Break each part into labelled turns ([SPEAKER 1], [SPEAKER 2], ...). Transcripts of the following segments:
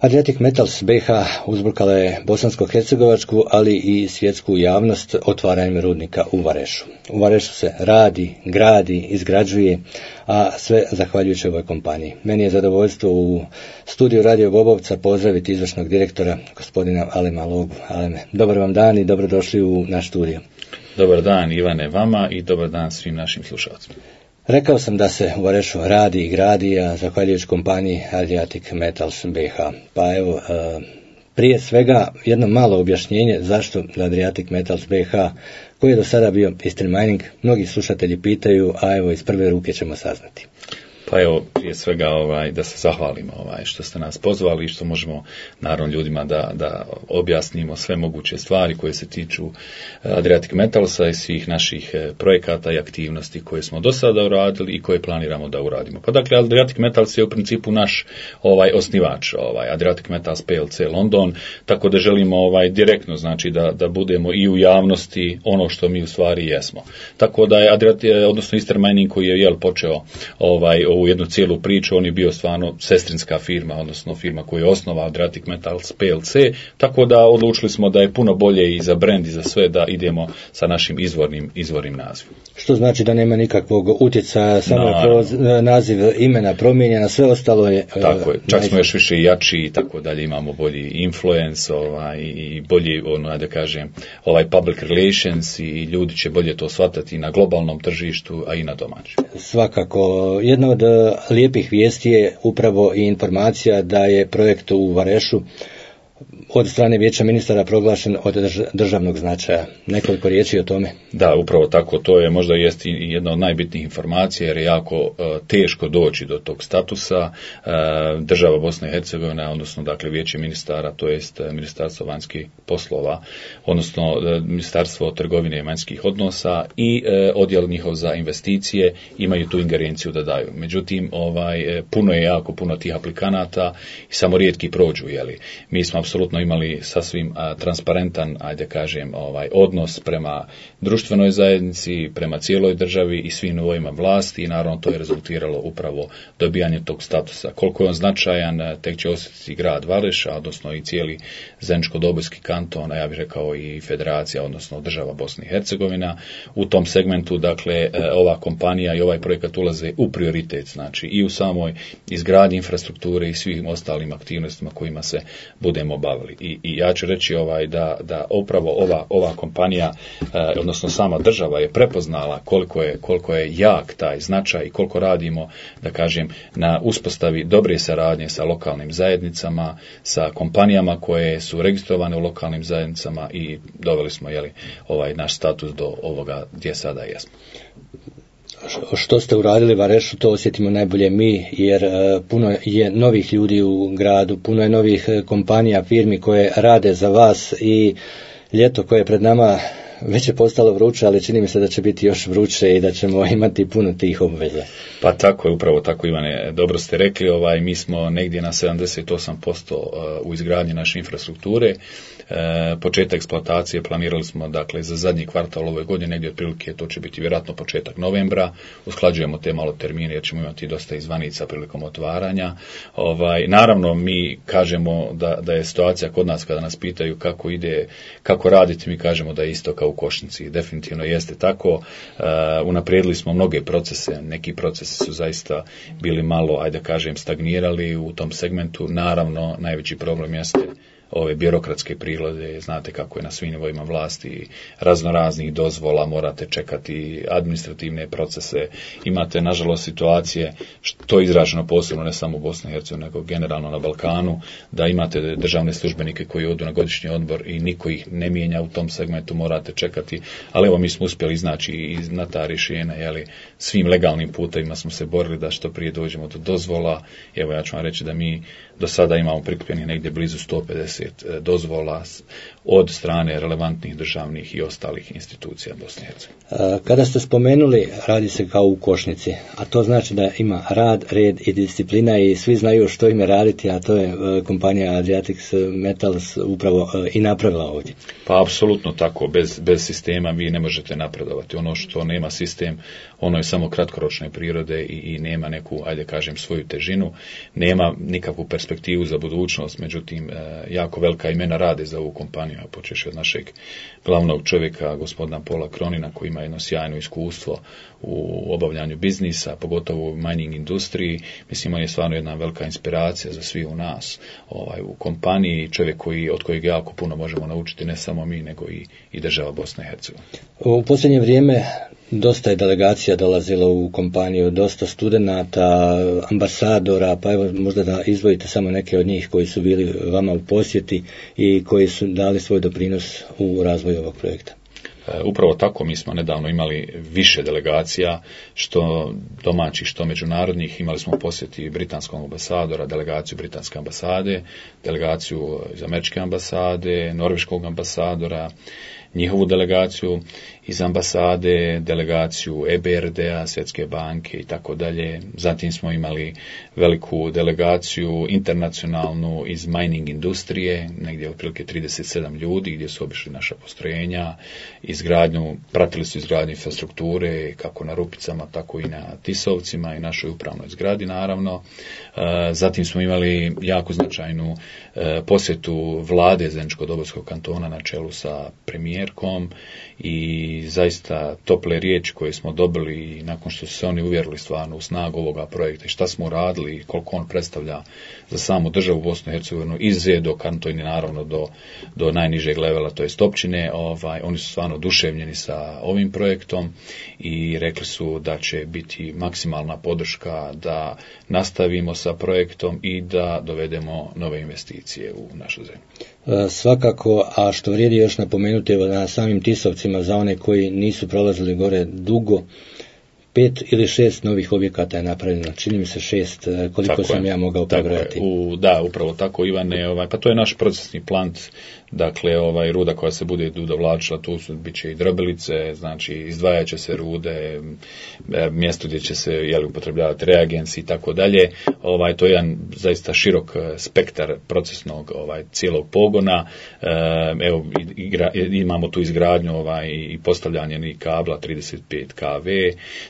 [SPEAKER 1] Adriatic Metals BiH uzburkala je bosansko-hercegovačku, ali i svjetsku javnost otvaranjem rudnika u Varešu. U Varešu se radi, gradi, izgrađuje, a sve zahvaljujući ovoj kompaniji. Meni je zadovoljstvo u studiju Radio Bobovca pozdraviti izvršnog direktora, gospodina Alema Logu. Aleme, dobar vam dan i dobrodošli u naš studio.
[SPEAKER 2] Dobar dan Ivane vama i dobar dan svim našim slušalcima.
[SPEAKER 1] Rekao sam da se u Varešu radi i gradi, a zahvaljujući kompaniji Adriatic Metals BiH. Pa evo, prije svega jedno malo objašnjenje zašto Adriatic Metals BiH, koji je do sada bio Eastern Mining, mnogi slušatelji pitaju, a evo iz prve ruke ćemo saznati.
[SPEAKER 2] Pa evo, prije svega da se zahvalimo što ste nas pozvali i što možemo naravno ljudima da objasnimo sve moguće stvari koje se tiču Adriatic Metalsa i svih naših projekata i aktivnosti koje smo do sada uradili i koje planiramo da uradimo. Pa dakle, Adriatic Metals je u principu naš osnivač, Adriatic Metals PLC London, tako da želimo direktno, znači da budemo i u javnosti ono što mi u stvari jesmo. Tako da je odnosno Eastern Mining koji je počeo ovu jednu cijelu priču, on je bio stvarno sestrinska firma, odnosno firma koju je osnovao Adriatic Metals PLC, tako da odlučili smo da je puno bolje i za brand i za sve da idemo sa našim izvornim nazivom.
[SPEAKER 1] Što znači da nema nikakvog utjecaja, samo je naziv imena promijenjena, sve ostalo je...
[SPEAKER 2] Tako je, čak smo još više jači i tako dalje, imamo bolji influence i bolji, da kažem, public relations i ljudi će bolje to shvatati na globalnom tržištu, a i na domaćem.
[SPEAKER 1] Svakako, jedna od lijepih vijesti je upravo i informacija da je projekt u Varešu od strane Vijeća ministara proglašen od državnog značaja. Nekoliko riječi o tome.
[SPEAKER 2] Da, upravo tako, to je možda jest i jedna od najbitnijih informacija jer je jako teško doći do tog statusa. Država Bosna i Hercegovina, odnosno dakle Vijeće ministara, to jest Ministarstvo vanjskih poslova, odnosno Ministarstvo trgovine i vanjskih odnosa i odjel njihov za investicije imaju tu ingerenciju da daju. Međutim, jako puno tih aplikanata i samo rijetki prođu, Mi smo apsolutno imali sasvim transparentan, odnos prema društvenoj zajednici, prema cijeloj državi i svim nivoima vlasti i naravno to je rezultiralo upravo dobijanje tog statusa. Koliko je on značajan, tek će osjetiti grad Vareša, odnosno i cijeli Zeničko-Dobojski kanton, a ja bih rekao i federacija, odnosno država Bosna i Hercegovina. U tom segmentu, dakle, ova kompanija i ovaj projekat ulaze u prioritet, znači i u samoj izgradnji infrastrukture i svim ostalim aktivnostima kojima se budemo bavili. I ja ću reći da upravo ova kompanija, odnosno sama država je prepoznala koliko je jak taj značaj i koliko radimo, da kažem, na uspostavi dobre saradnje sa lokalnim zajednicama, sa kompanijama koje su registrovane u lokalnim zajednicama i doveli smo naš status do ovoga gdje sada jesmo.
[SPEAKER 1] Što ste uradili Varešu, to osjetimo najbolje mi, jer puno je novih ljudi u gradu, puno je novih kompanija, firmi koje rade za vas i ljeto koje je pred nama već je postalo vruće, ali čini mi se da će biti još vruće i da ćemo imati puno tih obveza.
[SPEAKER 2] Pa tako je, upravo tako Ivane, dobro ste rekli, mi smo negdje na 78% u izgradnji naše infrastrukture. Početak eksploatacije planirali smo dakle za zadnji kvartal ove godine, negdje otprilike to će biti vjerojatno početak novembra. Usklađujemo te malo termine jer ćemo imati dosta izvanica prilikom otvaranja. Naravno mi kažemo da je situacija kod nas kada nas pitaju kako ide, kako raditi, mi kažemo da je isto kao u košnici. Definitivno jeste tako. Unaprijedili smo mnoge procese, neki procesi su zaista bili malo, stagnirali u tom segmentu. Naravno, najveći problem jeste ove birokratske prilode, znate kako je na svim nivoima vlasti, raznoraznih dozvola, morate čekati administrativne procese, imate nažalost situacije, što je izraženo posebno ne samo u Bosni i Hercegovini, nego generalno na Balkanu, da imate državne službenike koji odu na godišnji odmor i niko ih ne mijenja u tom segmentu, morate čekati, ali evo mi smo uspjeli iznaći i na ta rješenja, svim legalnim putevima smo se borili da što prije dođemo do dozvola. Evo ja ću vam reći da mi do sada imamo prikupljenih negdje blizu 150 dozvola od strane relevantnih državnih i ostalih institucija Bosne i Hercegovine.
[SPEAKER 1] Kada ste spomenuli, radi se kao u košnici, a to znači da ima rad, red i disciplina i svi znaju što im je raditi, a to je kompanija Adriatics Metals upravo i napravila ovdje.
[SPEAKER 2] Pa apsolutno tako, bez sistema vi ne možete napredovati. Ono što nema sistem, ono je samo kratkoročne prirode i nema neku, ajde kažem, svoju težinu, nema nikakvu perspektivu za budućnost, međutim, jako velika imena rade za ovu kompaniju, a počeši od našeg glavnog čovjeka, gospodina Pola Kronina, koji ima jedno sjajno iskustvo u obavljanju biznisa, pogotovo u mining industriji. Mislim, on je stvarno jedna velika inspiracija za svi u nas, u kompaniji, čovjek od kojeg jako puno možemo naučiti, ne samo mi, nego i država Bosne i Hercegovine.
[SPEAKER 1] U posljednje vrijeme dosta je delegacija dolazilo u kompaniju, dosta studenata, ambasadora, pa evo možda da izdvojite samo neke od njih koji su bili vama u posjeti i koji su dali svoj doprinos u razvoju ovog projekta.
[SPEAKER 2] Upravo tako, mi smo nedavno imali više delegacija, što domaćih, što međunarodnih. Imali smo posjeti britanskog ambasadora, delegaciju britanske ambasade, delegaciju iz američke ambasade, norveškog ambasadora, njihovu delegaciju iz ambasade, delegaciju EBRD-a, Svjetske banke i tako dalje. Zatim smo imali veliku delegaciju internacionalnu iz mining industrije, negdje otprilike 37 ljudi gdje su obišli naša postrojenja, pratili su izgradnju infrastrukture kako na Rupicama, tako i na Tisovcima i našoj upravnoj zgradi naravno. Zatim smo imali jako značajnu posjetu vlade Zeničko-Dobojskog kantona na čelu sa premijerkom i zaista tople riječi koje smo dobili nakon što su se oni uvjerili stvarno u snagu ovoga projekta i šta smo radili i koliko on predstavlja za samu državu Bosnu i Hercegovinu iz do kantona naravno do najnižeg levela, to jest općine. Oni su stvarno oduševljeni sa ovim projektom i rekli su da će biti maksimalna podrška da nastavimo sa projektom i da dovedemo nove investicije u našu zemlju.
[SPEAKER 1] Svakako, a što vrijedi još napomenuti na samim Tisovcima za one koji nisu prolazili gore dugo, 5 ili 6 novih objekata je napravljeno, čini mi se 6, koliko tako sam ja mogao prebrojati.
[SPEAKER 2] Da, upravo tako, Ivane, pa to je naš procesni plant, dakle, ruda koja se bude dovlačila, tu bit će i drobelice, znači izdvajat će se rude, mjesto gdje će se upotrebljavati reagensi i tako dalje. To je jedan zaista širok spektar procesnog cijelog pogona. Evo, imamo tu izgradnju i postavljanje kabla 35 kV,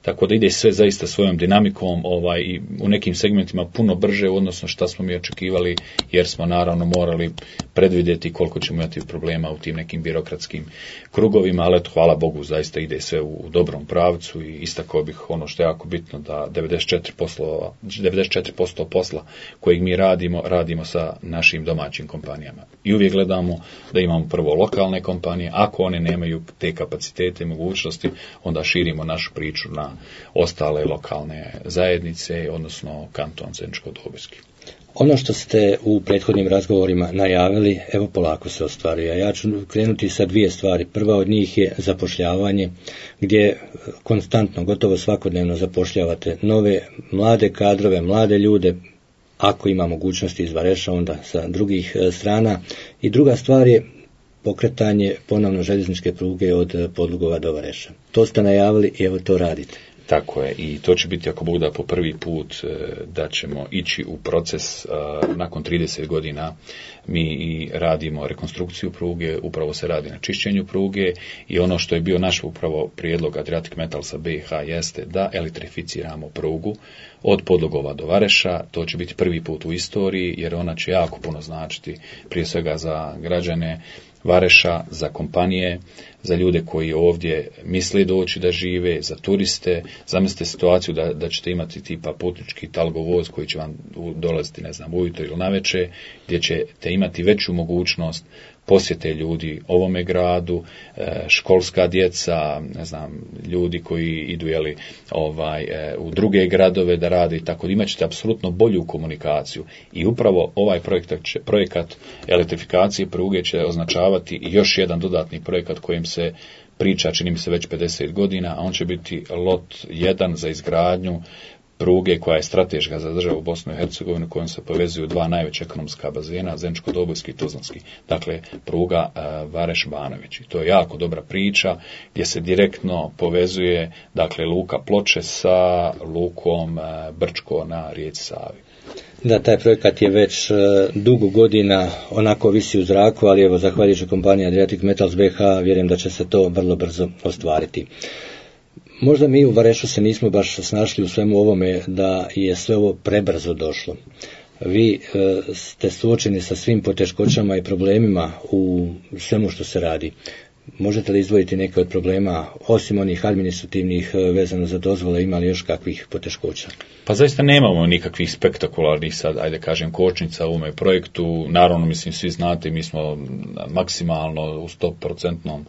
[SPEAKER 2] tako da ide sve zaista svojom dinamikom i u nekim segmentima puno brže, odnosno šta smo mi očekivali, jer smo naravno morali predvidjeti koliko ćemo imati problema u tim nekim birokratskim krugovima, ali eto, hvala Bogu, zaista ide sve u dobrom pravcu i istakao bih ono što je jako bitno, da 94% posla kojeg mi radimo sa našim domaćim kompanijama. I uvijek gledamo da imamo prvo lokalne kompanije, ako one nemaju te kapacitete i mogućnosti, onda širimo našu priču na ostale lokalne zajednice, odnosno kanton Zeničko-Dobojski.
[SPEAKER 1] Ono što ste u prethodnim razgovorima najavili, evo polako se ostvaruje. Ja ću krenuti sa 2 stvari. Prva od njih je zapošljavanje, gdje konstantno, gotovo svakodnevno zapošljavate nove mlade kadrove, mlade ljude, ako ima mogućnosti iz Vareša, onda sa drugih strana. I druga stvar je pokretanje ponovno željezničke pruge od Podlugova do Vareša. To ste najavili i evo to radite.
[SPEAKER 2] Tako je, i to će biti, ako Bog da, po prvi put da ćemo ići u proces. Nakon 30 godina mi i radimo rekonstrukciju pruge, upravo se radi na čišćenju pruge i ono što je bio naš upravo prijedlog Adriatic Metalsa BiH jeste da elektrificiramo prugu od Podlugova do Vareša. To će biti prvi put u istoriji, jer ona će jako puno značiti prije svega za građane Vareša, za kompanije, za ljude koji ovdje misle doći da žive, za turiste. Zamislite situaciju da ćete imati tipa putnički talgovoz koji će vam dolaziti, ujutro ili navečer, gdje ćete imati veću mogućnost posjete ljudi ovome gradu, školska djeca, ljudi koji idu u druge gradove da rade i tako da imat ćete apsolutno bolju komunikaciju. I upravo ovaj projekat elektrifikacije pruge će označavati još jedan dodatni projekat kojim se priča, čini mi se već 50 godina, a on će biti lot 1 za izgradnju pruge koja je strateška za državu Bosnu i Hercegovinu, kojom se povezuju dva najveća ekonomska bazena, Zeničko-Dobojski i Tuzlanski. Dakle, pruga Vareš-Banović. To je jako dobra priča gdje se direktno povezuje, dakle, luka Ploče sa lukom Brčko na rijeci Savi.
[SPEAKER 1] Da, taj projekat je već dugo godina onako visi u zraku, ali evo, zahvaljujući kompaniji Adriatic Metals BH, vjerujem da će se to vrlo brzo ostvariti. Možda mi u Varešu se nismo baš snašli u svemu ovome, da je sve ovo prebrzo došlo. Vi ste suočeni sa svim poteškoćama i problemima u svemu što se radi. Možete li izdvojiti neke od problema, osim onih administrativnih vezano za dozvole, ima li još kakvih poteškoća?
[SPEAKER 2] Pa zaista nemamo nikakvih spektakularnih sad, ajde kažem, kočnica u ovome projektu. Naravno, mislim, svi znate, mi smo maksimalno u 100%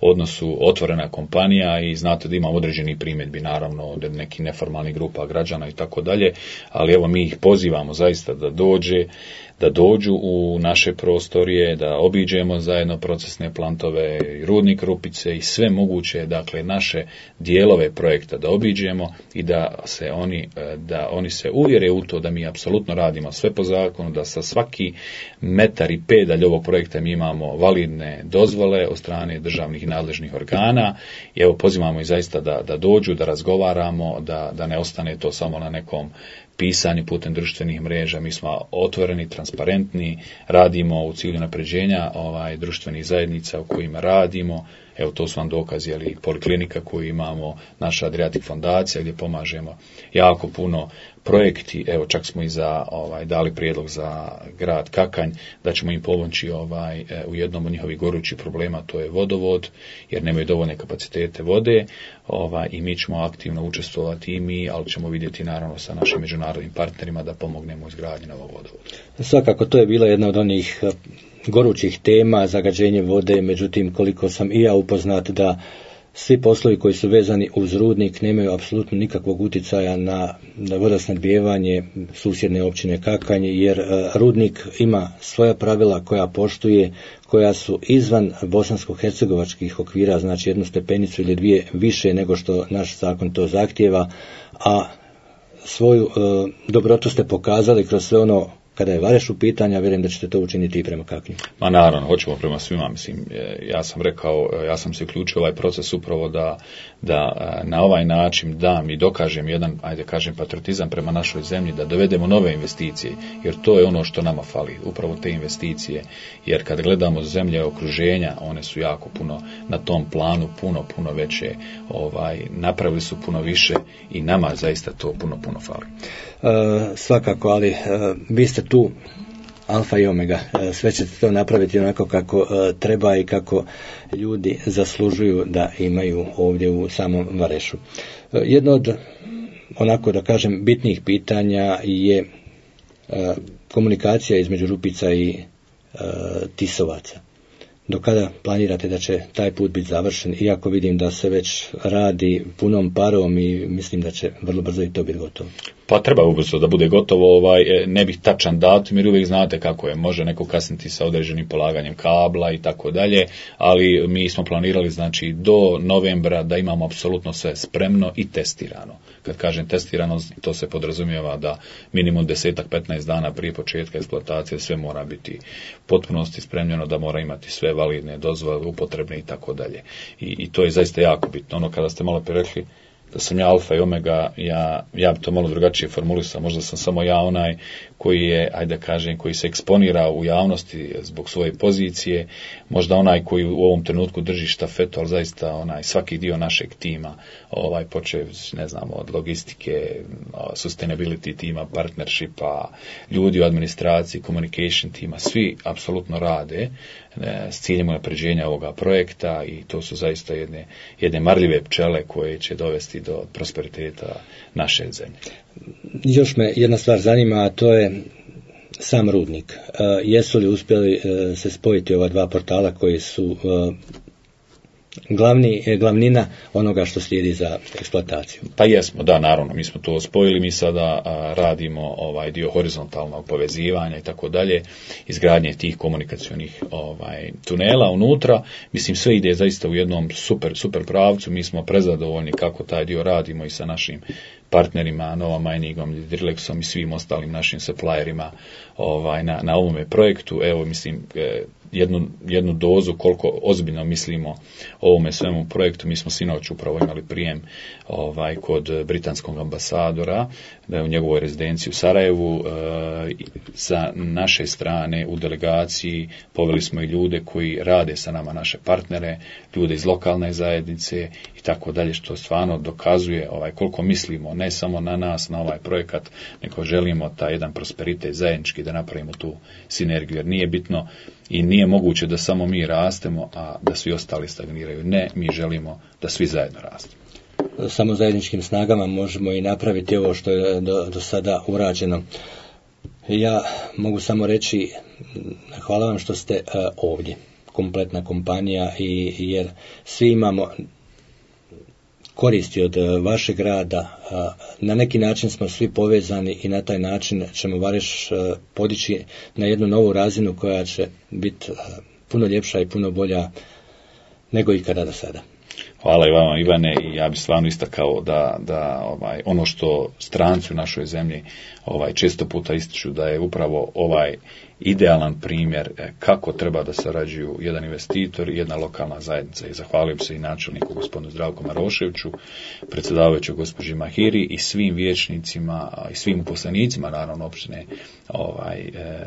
[SPEAKER 2] odnosu otvorena kompanija i znate da imamo određeni primjedbi, naravno, od nekih neformalnih grupa građana i tako dalje, ali evo mi ih pozivamo zaista da dođu u naše prostorije, da obiđemo zajedno procesne plantove, rudnik Rupice i sve moguće, dakle, naše dijelove projekta da obiđemo i da oni se uvjere u to da mi apsolutno radimo sve po zakonu, da sa svaki metar i pedalj ovog projekta mi imamo validne dozvole od strane državnih i nadležnih organa i evo pozivamo i zaista da dođu, da razgovaramo, da ne ostane to samo na nekom pisanju putem društvenih mreža. Mi smo otvoreni, transparentni, radimo u cilju napređenja društvenih zajednica u kojima radimo. Evo, to su vam dokazi, ali poliklinika koju imamo, naša Adriatic fondacija gdje pomažemo jako puno projekti. Evo, čak smo i dali prijedlog za grad Kakanj da ćemo im pomoći u jednom od njihovih gorućih problema, to je vodovod, jer nemaju dovoljne kapacitete vode, i mi ćemo aktivno učestvovati i mi, ali ćemo vidjeti naravno sa našim međunarodnim partnerima da pomognemo izgradnji novog vodovoda.
[SPEAKER 1] Svakako, to je bila jedna od onih gorućih tema, zagađenje vode, međutim, koliko sam i ja upoznat da svi poslovi koji su vezani uz rudnik nemaju apsolutno nikakvog utjecaja na vodosnadbijevanje susjedne općine Kakanj, jer rudnik ima svoja pravila koja poštuje, koja su izvan bosansko-hercegovačkih okvira, znači jednu stepenicu ili dvije više nego što naš zakon to zahtijeva, a svoju dobrotu ste pokazali kroz sve ono. Kada je Vareš u pitanju, vjerujem da ćete to učiniti i prema Kaknju.
[SPEAKER 2] Ma naravno, hoćemo prema svima. Mislim, ja sam rekao, ja sam se uključio u ovaj proces upravo da na ovaj način dam i dokažem jedan, ajde kažem, patriotizam prema našoj zemlji, da dovedemo nove investicije, jer to je ono što nama fali, upravo te investicije. Jer kad gledamo zemlje okruženja, one su jako puno na tom planu, puno veće, napravili su puno više i nama zaista to puno fali.
[SPEAKER 1] Svakako, ali vi ste tu alfa i omega, sve ćete to napraviti onako kako treba i kako ljudi zaslužuju da imaju ovdje u samom Varešu. Jedno od, onako da kažem, bitnih pitanja je komunikacija između Rupica i Tisovaca. Do kada planirate da će taj put biti završen, iako vidim da se već radi punom parom i mislim da će vrlo brzo i to biti gotovo?
[SPEAKER 2] Pa treba ubrzo da bude gotovo, ne bih tačan datum, jer uvijek znate kako je, može neko kasniti sa određenim polaganjem kabla i tako dalje, ali mi smo planirali, znači, do novembra da imamo apsolutno sve spremno i testirano. Kad kažem testirano, to se podrazumijeva da minimum 10-15 dana prije početka eksploatacije sve mora biti potpunosti spremljeno, da mora imati sve validne dozvole, upotrebne i tako dalje. I to je zaista jako bitno. Ono kada ste malo prije rekli da sam ja alfa i omega, ja bi to malo drugačije formulisao, možda sam samo ja onaj koji je, ajde kažem, koji se eksponira u javnosti zbog svoje pozicije, možda onaj koji u ovom trenutku drži štafetu, ali zaista svaki dio našeg tima, počev, ne znam, od logistike, sustainability tima, partnershipa, ljudi u administraciji, communication tima, svi apsolutno rade s ciljem unapređenja ovoga projekta i to su zaista jedne marljive pčele koje će dovesti do prosperiteta naše zemlje.
[SPEAKER 1] Još me jedna stvar zanima, a to je sam rudnik. Jesu li uspjeli se spojiti ova dva portala koji su glavnina onoga što slijedi za eksploataciju.
[SPEAKER 2] Pa jesmo, da, naravno, mi smo to spojili, mi sada radimo dio horizontalnog povezivanja i tako dalje, izgradnje tih komunikacionih tunela unutra. Mislim, sve ide zaista u jednom super pravcu, mi smo prezadovoljni kako taj dio radimo i sa našim partnerima, Nova Miningom, Drilexom i svim ostalim našim supplierima na ovome projektu. Evo, mislim, jednu dozu koliko ozbiljno mislimo o ovome svemu projektu. Mi smo sinoć upravo imali prijem kod britanskog ambasadora u njegovoj rezidenciji u Sarajevu. Sa naše strane u delegaciji poveli smo i ljude koji rade sa nama, naše partnere, ljude iz lokalne zajednice i tako dalje, što stvarno dokazuje koliko mislimo ne samo na nas, na ovaj projekat, nego želimo taj jedan prosperitet zajednički da napravimo tu sinergiju, jer nije bitno i nije moguće da samo mi rastemo, a da svi ostali stagniraju. Ne, mi želimo da svi zajedno rastemo.
[SPEAKER 1] Samo zajedničkim snagama možemo i napraviti ovo što je do sada urađeno. Ja mogu samo reći hvala vam što ste ovdje, kompletna kompanija, jer svi imamo koristi od vašeg rada. Na neki način smo svi povezani i na taj način ćemo Vareš podići na jednu novu razinu koja će biti puno ljepša i puno bolja nego ikada do sada.
[SPEAKER 2] Hvala i vama, Ivane, i ja bih stvarno istakao da ono što stranci u našoj zemlji često puta ističu da je upravo ovaj idealan primjer kako treba da sarađuju jedan investitor i jedna lokalna zajednica. I zahvalio bi se i načelniku gospodinu Zdravku Maroševiću, predsjedavajuću gospođi Mahiri i svim vijećnicima i svim uposlenicima naravno opštine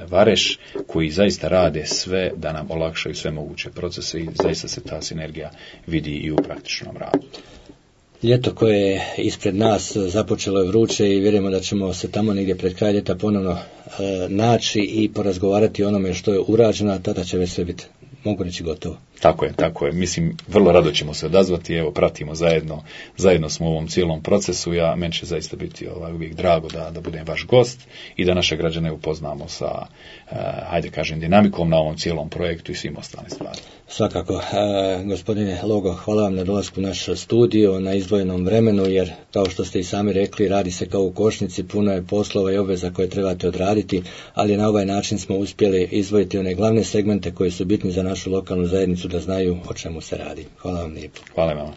[SPEAKER 2] Vareš, koji zaista rade sve da nam olakšaju sve moguće procese i zaista se ta sinergija vidi i u praktičnom radu.
[SPEAKER 1] Ljeto koje je ispred nas započelo je vruće i vjerujemo da ćemo se tamo negdje pred kraj ljeta ponovno naći i porazgovarati o onome što je urađeno, a tada će već sve biti, mogu reći, gotovo.
[SPEAKER 2] Tako je. Mislim, vrlo rado ćemo se odazvati, evo, pratimo zajedno smo u ovom cijelom procesu. Meni će zaista biti uvijek drago da budem vaš gost i da naše građane upoznamo sa, dinamikom na ovom cijelom projektu i svim ostalim stvarima.
[SPEAKER 1] Svakako. Gospodine Logo, hvala vam na dolasku u naš studio, na izdvojenom vremenu, jer, kao što ste i sami rekli, radi se kao u košnici, puno je poslova i obveza koje trebate odraditi, ali na ovaj način smo uspjeli izdvojiti one glavne segmente koji su bitni za našu lokalnu zajednicu da znaju o čemu se radi. Hvala vam lijepo.
[SPEAKER 2] Hvala vam.